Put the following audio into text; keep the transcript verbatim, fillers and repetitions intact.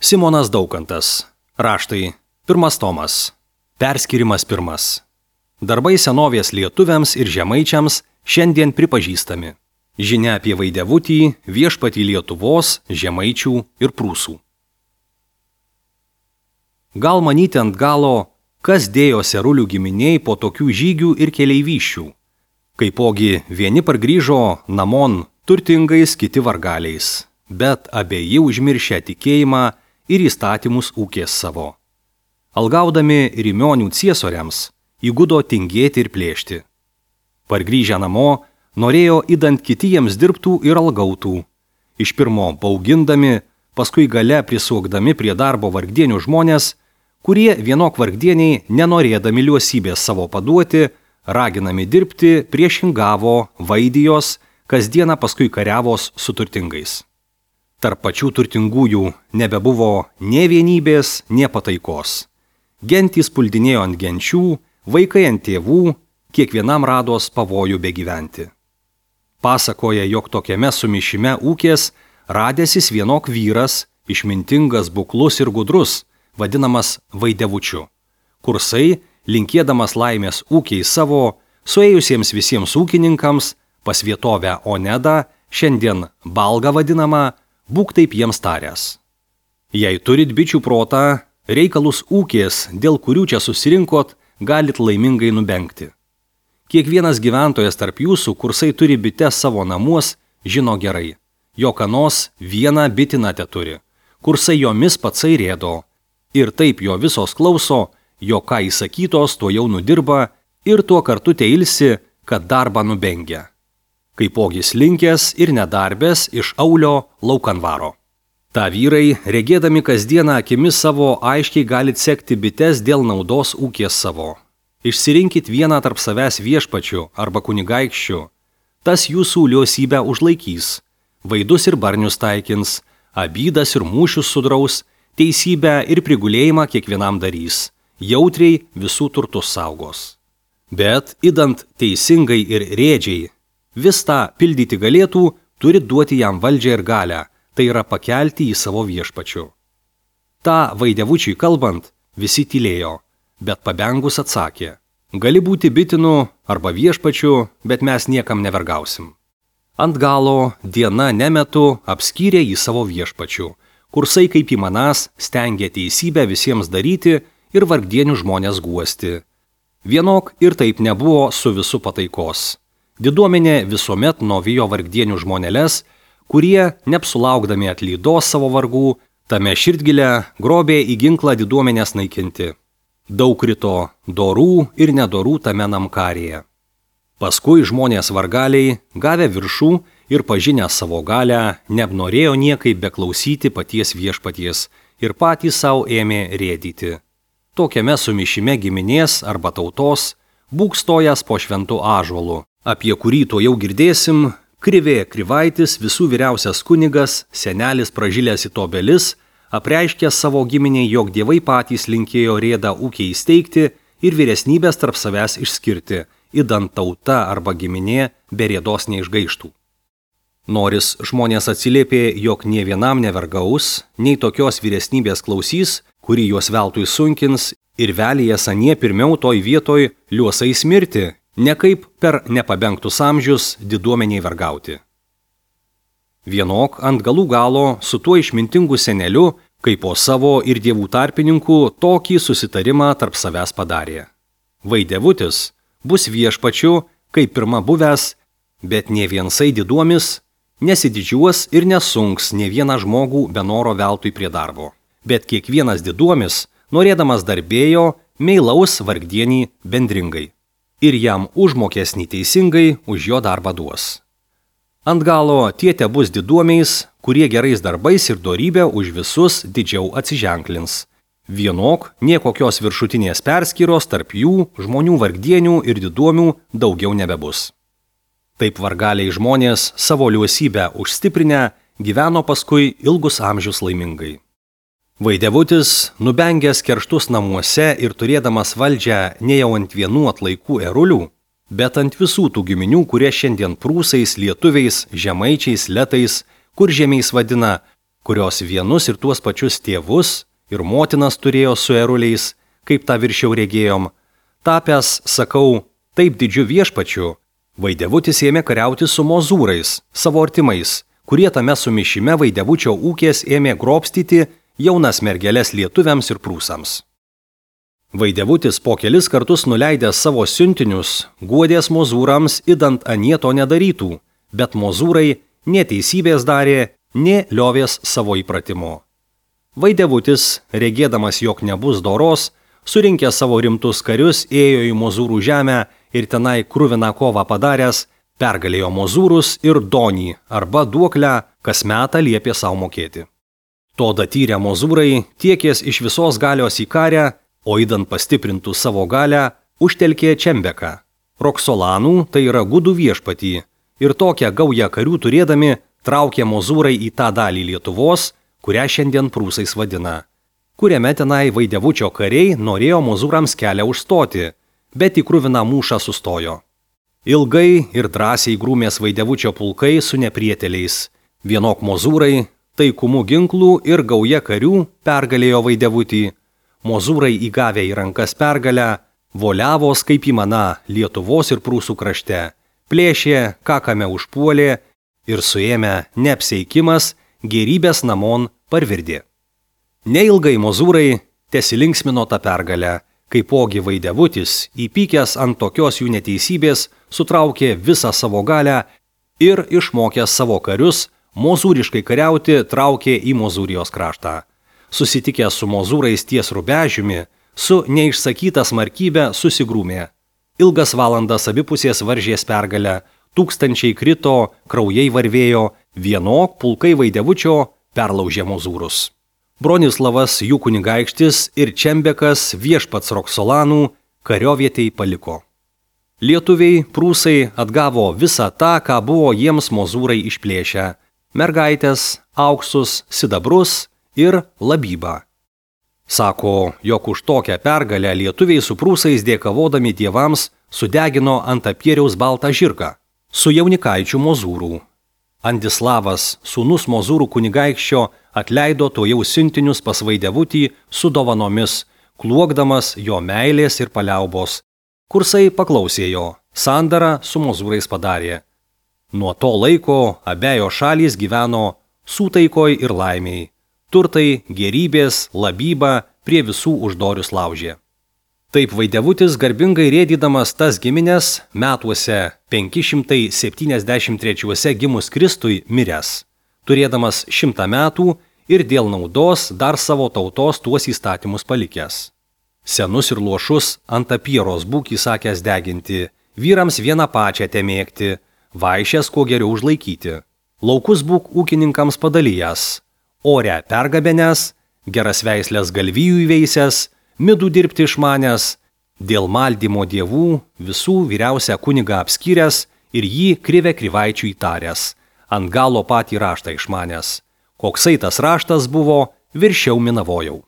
Simonas Daukantas. Raštai. Pirmas tomas. Perskyrimas pirmas. Darbai senovės lietuviams ir žemaičiams šiandien pripažįstami. Žinia apie Vaidevutį, viešpatį Lietuvos, žemaičių ir prūsų. Gal manyti ant galo, kas dėjo serulių giminiai po tokių žygių ir keleivyščių. Kaipogi vieni pargrįžo namon turtingais, kiti vargaliais, bet abieji užmiršę tikėjimą ir įstatymus ūkės savo. Algaudami Rimionių ciesoriams, įgudo tingėti ir plėšti. Pargrįžę namo, norėjo įdant kiti jiems dirbtų ir algautų. Iš pirmo baugindami, paskui gale prisuokdami prie darbo vargdienių žmonės, kurie vienok vargdieniai, nenorėdami liuosybės savo paduoti, raginami dirbti, priešingavo, vaidijos, kasdieną paskui kariavos su turtingais. Tarp pačių turtingųjų nebebuvo nė vienybės, nė pataikos. Gentys puldinėjo ant genčių, vaikai ant tėvų, kiekvienam rados pavojų begyventi. Pasakoja, jog tokiame sumišime ūkės radęsis vienok vyras, išmintingas, buklus ir gudrus, vadinamas Vaidevučiu. Kursai, linkėdamas laimės ūkiai savo, suėjusiems visiems ūkininkams, pas vietovę Onedą, šiandien Balga vadinama, būk taip jiems taręs. Jei turit bičių protą, reikalus ūkės, dėl kurių čia susirinkot, galit laimingai nubengti. Kiekvienas gyventojas tarp jūsų, kursai turi bites savo namuos, žino gerai, jog anos vieną bitiną teturi, kursai jomis patsai rėdo, ir taip jo visos klauso, jo ką įsakytos, to jau nudirba ir tuo kartu teilsi, kad darbą nubengia. Kaipogis linkęs ir nedarbęs iš aulio laukan varo. Ta vyrai, regėdami kasdieną akimis savo, aiškiai galit sekti bites dėl naudos ūkės savo. Išsirinkit vieną tarp savęs viešpačių arba kunigaikščių. Tas jūsų liosybę užlaikys. Vaidus ir barnius taikins, abydas ir mūšius sudraus, teisybę ir prigulėjimą kiekvienam darys. Jautriai visų turtus saugos. Bet, idant teisingai ir rėdžiai, vis tą pildyti galėtų, turi duoti jam valdžią ir galią, tai yra pakelti į savo viešpačių. Ta Vaidevučiui kalbant, visi tylėjo, bet pabengus atsakė, gali būti bitinu arba viešpačiu, bet mes niekam nevergausim. Ant galo diena nemetu apskyrė į savo viešpačių, kursai kaip įmanas stengė teisybę visiems daryti ir vargdienių žmonės guosti. Vienok ir taip nebuvo su visu pataikos. Diduomenė visuomet novijo vargdienių žmonėles, kurie, neapsulaukdami atlydos savo vargų, tame širdgilę grobė į ginklą diduomenės naikinti. Daug krito dorų ir nedorų tame namkarėje. Paskui žmonės vargaliai, gavę viršų ir pažinę savo galę, neapnorėjo niekaip beklausyti paties viešpaties ir patys savo ėmė rėdyti. Tokiame sumišime giminės arba tautos būk stojęs po šventu ąžuolu, apie kurį to jau girdėsim, Krivė Krivaitis, visų vyriausias kunigas, senelis pražilęs į tobelis, apreiškė savo giminiai, jog dievai patys linkėjo rėdą ūkiai įsteigti ir vyresnybės tarp savęs išskirti, idant tauta arba giminė be rėdos neišgaištų. Noris žmonės atsiliepė, jog nie vienam nevergaus, nei tokios vyresnybės klausys, kuri juos veltui sunkins ir velijas anie pirmiau toj vietoj liuosais mirti, ne kaip per nepabengtus amžius diduomeniai vergauti. Vienok ant galų galo su tuo išmintingu seneliu, kaip po savo ir dievų tarpininkų, tokį susitarimą tarp savęs padarė. Vaidevutis bus viešpačiu, kaip pirma buvęs, bet ne viensai diduomis, nesididžiuos ir nesunks ne vieną žmogų be noro veltui prie darbo. Bet kiekvienas diduomis, norėdamas darbėjo, meilaus vargdienį bendringai. Ir jam užmokesnį teisingai už jo darbą duos. Ant galo tie te bus diduomiais, kurie gerais darbais ir dorybę už visus didžiau atsiženklins. Vienok niekokios viršutinės perskyros tarp jų, žmonių vargdienių ir diduomių daugiau nebebus. Taip vargaliai žmonės savo liuosybę užstiprinę gyveno paskui ilgus amžius laimingai. Vaidevutis, nubengęs kerštus namuose ir turėdamas valdžią ne jau ant vienų atlaikų erulių, bet ant visų tų giminių, kurie šiandien prūsais, lietuviais, žemaičiais, letais, kuržemiais vadina, kurios vienus ir tuos pačius tėvus ir motinas turėjo su eruliais, kaip tą viršiau regėjom, tapęs, sakau, taip didžiu viešpačiu, Vaidevutis ėmė kariauti su mozūrais, savo artimais, kurie tame sumišime Vaidevučio ūkės ėmė grobstyti jaunas mergeles lietuviams ir prūsams. Vaidevutis po kelis kartus nuleidęs savo siuntinius, guodės mozūrams idant anie to nedarytų, bet mozūrai neteisybės darė, nė liovės savo įpratimo. Vaidevutis, regėdamas, jog nebus doros, surinkęs savo rimtus karius, ėjo į mozūrų žemę ir tenai kruviną kovą padaręs, pergalėjo mozūrus ir donį arba duoklę, kas metą liepė savo mokėti. To datyrę mozūrai tiekės iš visos galios į karę, o įdant pastiprintų savo galę, užtelkė Čembeką. Roksolanų, tai yra gudų viešpatį, ir tokią gaują karių turėdami traukė mozūrai į tą dalį Lietuvos, kurią šiandien prūsais vadina, kuriame tenai Vaidevučio kariai norėjo mozūrams kelią užstoti, bet į kruviną mūšą sustojo. Ilgai ir drąsiai grūmės Vaidevučio pulkai su neprieteliais. Vienok mozūrai, taikumu ginklų ir gauja karių pergalėjo Vaidevutį. Mozūrai įgavę į rankas pergalę, voliavos kaip įmana Lietuvos ir Prūsų krašte, plėšė, ką kame užpuolė ir suėmė neapseikimas, gerybės namon parvirdė. Neilgai mozūrai tesilinksmino tą pergalę, kaipogi Vaidevutis, įpykęs ant tokios jų neteisybės, sutraukė visą savo galę ir išmokęs savo karius mozūriškai kariauti traukė į Mozūrijos kraštą. Susitikęs su mozūrais ties Rubežiumi, su neišsakyta smarkybė susigrūmė. Ilgas valandas abipusės varžės pergalę, tūkstančiai krito, kraujai varvėjo, vienok pulkai Vaidevučio perlaužė mozūrus. Bronislavas jų kunigaikštis ir Čembekas viešpats Roksolanų kariovietei paliko. Lietuviai, prūsai atgavo visą tą, ką buvo jiems mozūrai išplėšę – mergaitės, auksus, sidabrus ir labybą. Sako, jog už tokią pergalę lietuviai su prūsais dėkavodami dievams sudegino ant apieriaus baltą žirgą su jaunikaičių mozūrų. Andislavas, sūnus mozūrų kunigaikščio, atleido to jau siuntinius pas Vaidevutį su dovanomis, kluokdamas jo meilės ir paliaubos. Kursai paklausė jo, sandarą su mozūrais padarė. Nuo to laiko abejo šalys gyveno sūtaikoj ir laimiai. Turtai, gerybės, labyba prie visų uždorius laužė. Taip Vaidevutis garbingai rėdydamas tas giminės metuose penki šimtai septyniasdešimt trečiuose gimus Kristui miręs, turėdamas šimtą metų ir dėl naudos dar savo tautos tuos įstatymus palikęs. Senus ir luošus ant apieros būk įsakęs deginti, vyrams vieną pačią temėgti, vaišės kuo geriau užlaikyti, laukus būk ūkininkams padalijęs, orę pergabenęs, geras veislės galvijų įveisęs, midų dirbti išmanęs, dėl maldymo dievų visų vyriausią kunigą apskyręs ir jį krivę krivaičių įtaręs, ant galo patį raštą išmanęs. Koksai tas raštas buvo, viršiau minavojau.